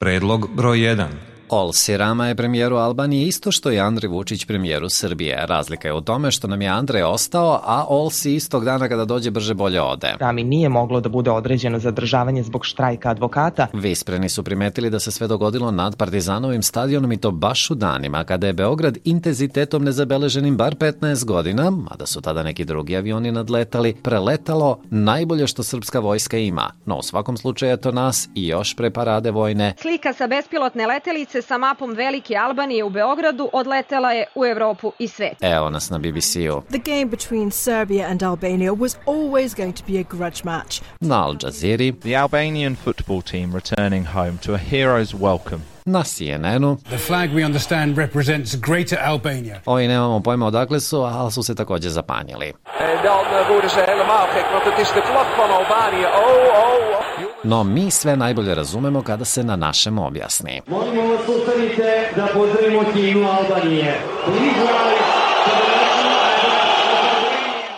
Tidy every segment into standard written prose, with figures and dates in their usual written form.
Predlog broj 1. Olsi Rama je premijeru Albanije isto što i Andrej Vučić premijeru Srbije. Razlika je u tome što nam je Andrej ostao, a Olsi istog dana kada dođe brže bolje ode. Rami nije moglo da bude određeno zadržavanje zbog štrajka advokata. Vispreni su primetili da se sve dogodilo nad Partizanovim stadionom i to baš u danima kada je Beograd intenzitetom nezabeleženim bar 15 godina, mada su tada neki drugi avioni nadletali, preletalo najbolje što srpska vojska ima. No u svakom slučaju je to nas i još pre parade vojne. Slika sa bespilotne letelice sa mapom Velike Albanije u Beogradu odletela je u Evropu i svet. Evo nas na BBC-u. The game between Serbia and Albania was always going to be a grudge match. Na Al Jazeera. The Albanian football team returning home to a hero's welcome. Na CNN-u. The flag, we understand, represents Greater Albania. Ovi nemamo pojma odakle su, ali su se također zapanjili. En dan worden ze helemaal gek, want het is de vlag van Albanië. No mi sve najbolje razumemo kada se na našem objasni. Molimo vas ustanite da pozdravimo himnu Albanije.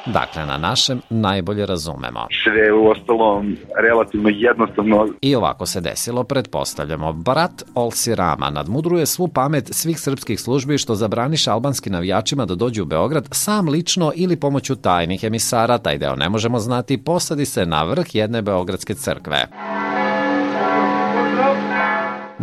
Dakle, na našem najbolje razumemo. Sve u ostalom relativno jednostavno. I ovako se desilo, pretpostavljamo. Brat Olsi Rama nadmudruje svu pamet svih srpskih službi što zabraniše albanski navijačima da dođu u Beograd sam lično ili pomoću tajnih emisara, taj deo ne možemo znati, posadi se na vrh jedne beogradske crkve.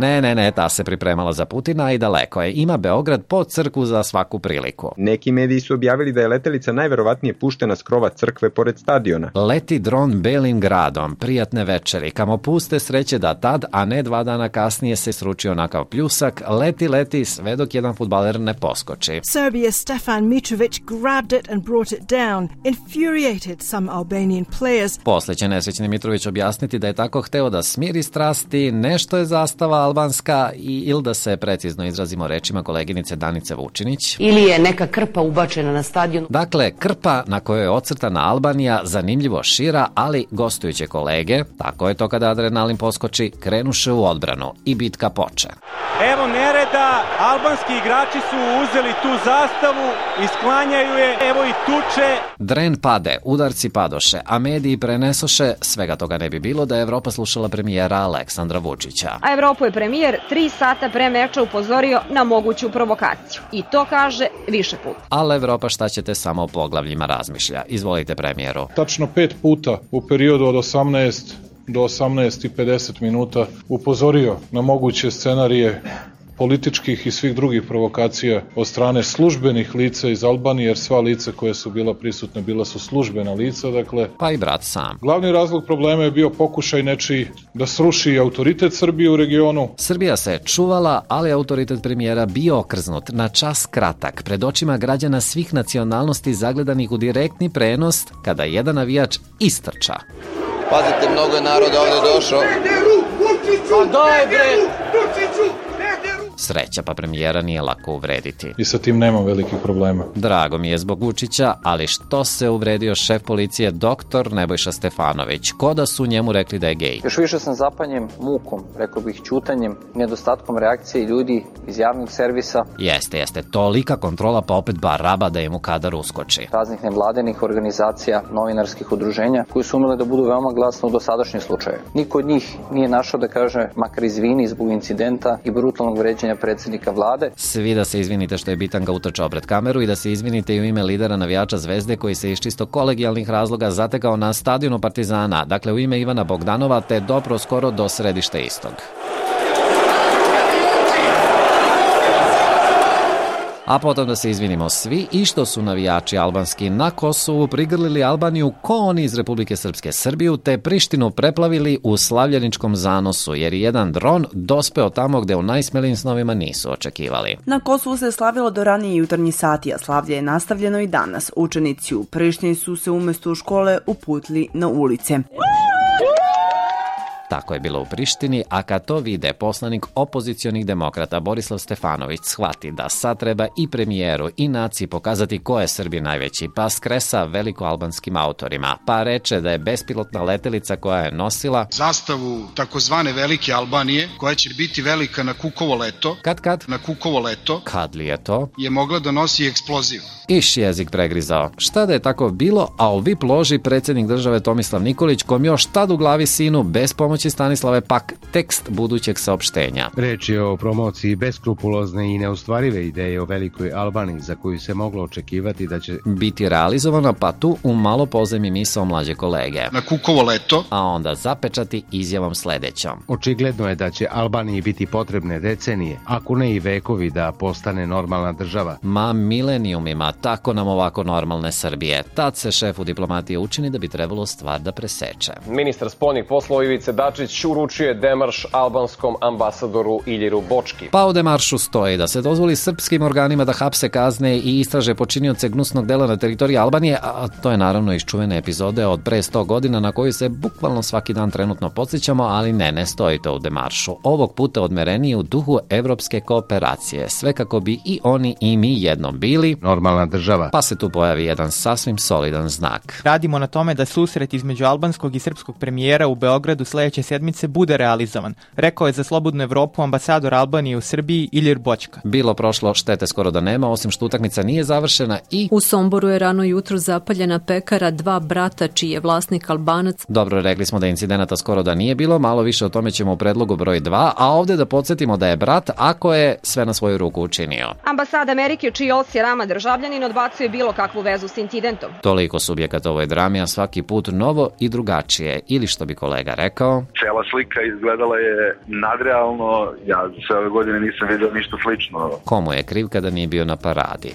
Ne, ta se pripremala za Putina i daleko je. Ima Beograd pod crkvu za svaku priliku. Neki mediji su objavili da je letelica najverovatnije puštena s krova crkve pored stadiona. Leti dron belim gradom, prijatne večeri, kamo puste sreće da tad, a ne 2 dana kasnije se sručio onakav pljusak, leti, sve dok jedan fudbaler ne poskoči. Serbia's Stefan Mitrovic grabbed it and brought it down, infuriated some Albanian players. Posle će nesrećni Mitrović objasniti da je tako hteo da smiri strasti, nešto je zastava albanska ili da se precizno izrazimo rečima koleginice Danice Vučinić. Ili je neka krpa ubačena na stadion. Dakle, krpa na kojoj je ocrtana Albanija zanimljivo šira, ali gostujuće kolege, tako je to kada adrenalin poskoči, krenuše u odbranu i bitka poče. Evo nereda, albanski igrači su uzeli tu zastavu i sklanjaju je, evo i tuče. Dren pade, udarci padoše, a mediji prenesoše, svega toga ne bi bilo da je Evropa slušala premijera Aleksandra Vučića. A Evropu je premijer 3 sata pre meča upozorio na moguću provokaciju. I to kaže više puta. Ali Evropa šta ćete samo o poglavljima razmišlja. Izvolite premijeru. Tačno 5 puta u periodu od 18 do 18:50 minuta upozorio na moguće scenarije političkih i svih drugih provokacija od strane službenih lica iz Albanije, jer sva lica koja su bila prisutna bila su službena lica, dakle. Pa i brat sam. Glavni razlog problema je bio pokušaj nečiji da sruši autoritet Srbije u regionu. Srbija se čuvala, ali autoritet premijera bio okrznut na čas kratak pred očima građana svih nacionalnosti zagledanih u direktni prenos kada jedan navijač istrča. Pazite, mnogo je naroda ovdje došao. Pa daj bre! Sreća, pa premijera nije lako uvrediti. I sa tim nemam velikih problema. Drago mi je zbog Vučića, ali što se uvredio šef policije dr. Nebojša Stefanović? Ko da su njemu rekli da je gej? Još više sam zapanjen mukom, rekao bih ćutanjem, nedostatkom reakcije ljudi iz javnog servisa. Jeste, tolika kontrola pa opet baraba da je mu kadar uskoči. Raznih nevladenih organizacija, novinarskih udruženja, koji su umele da budu veoma glasno u dosadašnjem slučaju. Niko od njih nije našao da kaže makar izvini zbog incidenta i brutalnog vređanja predsjednika vlade. Svi da se izvinite što je Bitanga utrčao pred kameru i da se izvinite i u ime lidera navijača Zvezde koji se iz čisto kolegijalnih razloga zatekao na stadionu Partizana, dakle u ime Ivana Bogdanova, te dopro skoro do središta istog. A potom da se izvinimo svi i što su navijači albanski na Kosovu prigrlili Albaniju ko oni iz Republike Srpske Srbiju, te Prištinu preplavili u slavljeničkom zanosu, jer je jedan dron dospeo tamo gde u najsmelijim snovima nisu očekivali. Na Kosovu se slavilo do ranije jutarnji sati, a slavlje je nastavljeno i danas. Učenici u Prištini su se umjesto u škole uputili na ulice. Tako je bilo u Prištini, a kad to vide poslanik opozicionih demokrata Borislav Stefanović shvati da sad treba i premijeru i naciji pokazati ko je Srbi najveći, pa skresa velikoalbanskim autorima, pa reče da je bespilotna letelica koja je nosila zastavu takozvane Velike Albanije, koja će biti velika na Kukovo leto. Kad? Na Kukovo leto. Kad li je to? Je mogla da nosi eksploziv. Iš jezik pregrizao. Šta da je tako bilo, a u VIP loži predsjednik države Tomislav Nikolić, kom još tad u glavi sinu bez pomoći pomoći, Stanislave, pak tekst budućeg saopštenja. Reč je o promociji beskrupulozne i neostvarive ideje o velikoj Albaniji za koju se moglo očekivati da će biti realizovana, pa tu u malo pozemi misao mlađe kolege. Na Kukovo leto. A onda zapečati izjavom sledećom. Očigledno je da će Albaniji biti potrebne decenije, ako ne i vekovi, da postane normalna država. Ma milenijumima, tako nam ovako normalne Srbije. Tad se šefu diplomatije učini da bi trebalo stvar da preseče. Ministar spoljnih poslova Ivice Dačić uručuje demarš albanskom ambasadoru Iljiru Bočki. Pa u demaršu stoji da se dozvoli srpskim organima da hapse, kazne i istraže počinioce gnusnog dela na teritoriji Albanije, a to je naravno iz čuvene epizode od pre 100 godina na koju se bukvalno svaki dan trenutno podsjećamo, ali ne stoji to u demaršu. Ovog puta odmerenije u duhu evropske kooperacije, sve kako bi i oni i mi jednom bili normalna država. Pa se tu pojavi jedan sasvim solidan znak. Radimo na tome da susret između albanskog i srpskog premijera u Beogradu sledeće sedmice bude realizovan, rekao je za Slobodnu Evropu ambasador Albanije u Srbiji Ilir Bočka. Bilo prošlo, štete skoro da nema, osim što utakmica nije završena i u Somboru je rano jutro zapaljena pekara dva brata čiji je vlasnik Albanac. Dobro, rekli smo da incidenata skoro da nije bilo, malo više o tome ćemo u predlogu broj 2, a ovde da podsjetimo da je brat, ako je sve na svoju ruku učinio. Ambasada Amerike, čiji Olsi Rama državljanin, odbacuje bilo kakvu vezu s incidentom. Toliko subjekata ovoj drami, a svaki put novo i drugačije, ili što bi kolega rekao, cela slika izgledala je nadrealno, ja sve ove godine nisam vidio ništa slično. Komu je kriv kada nije bio na paradi?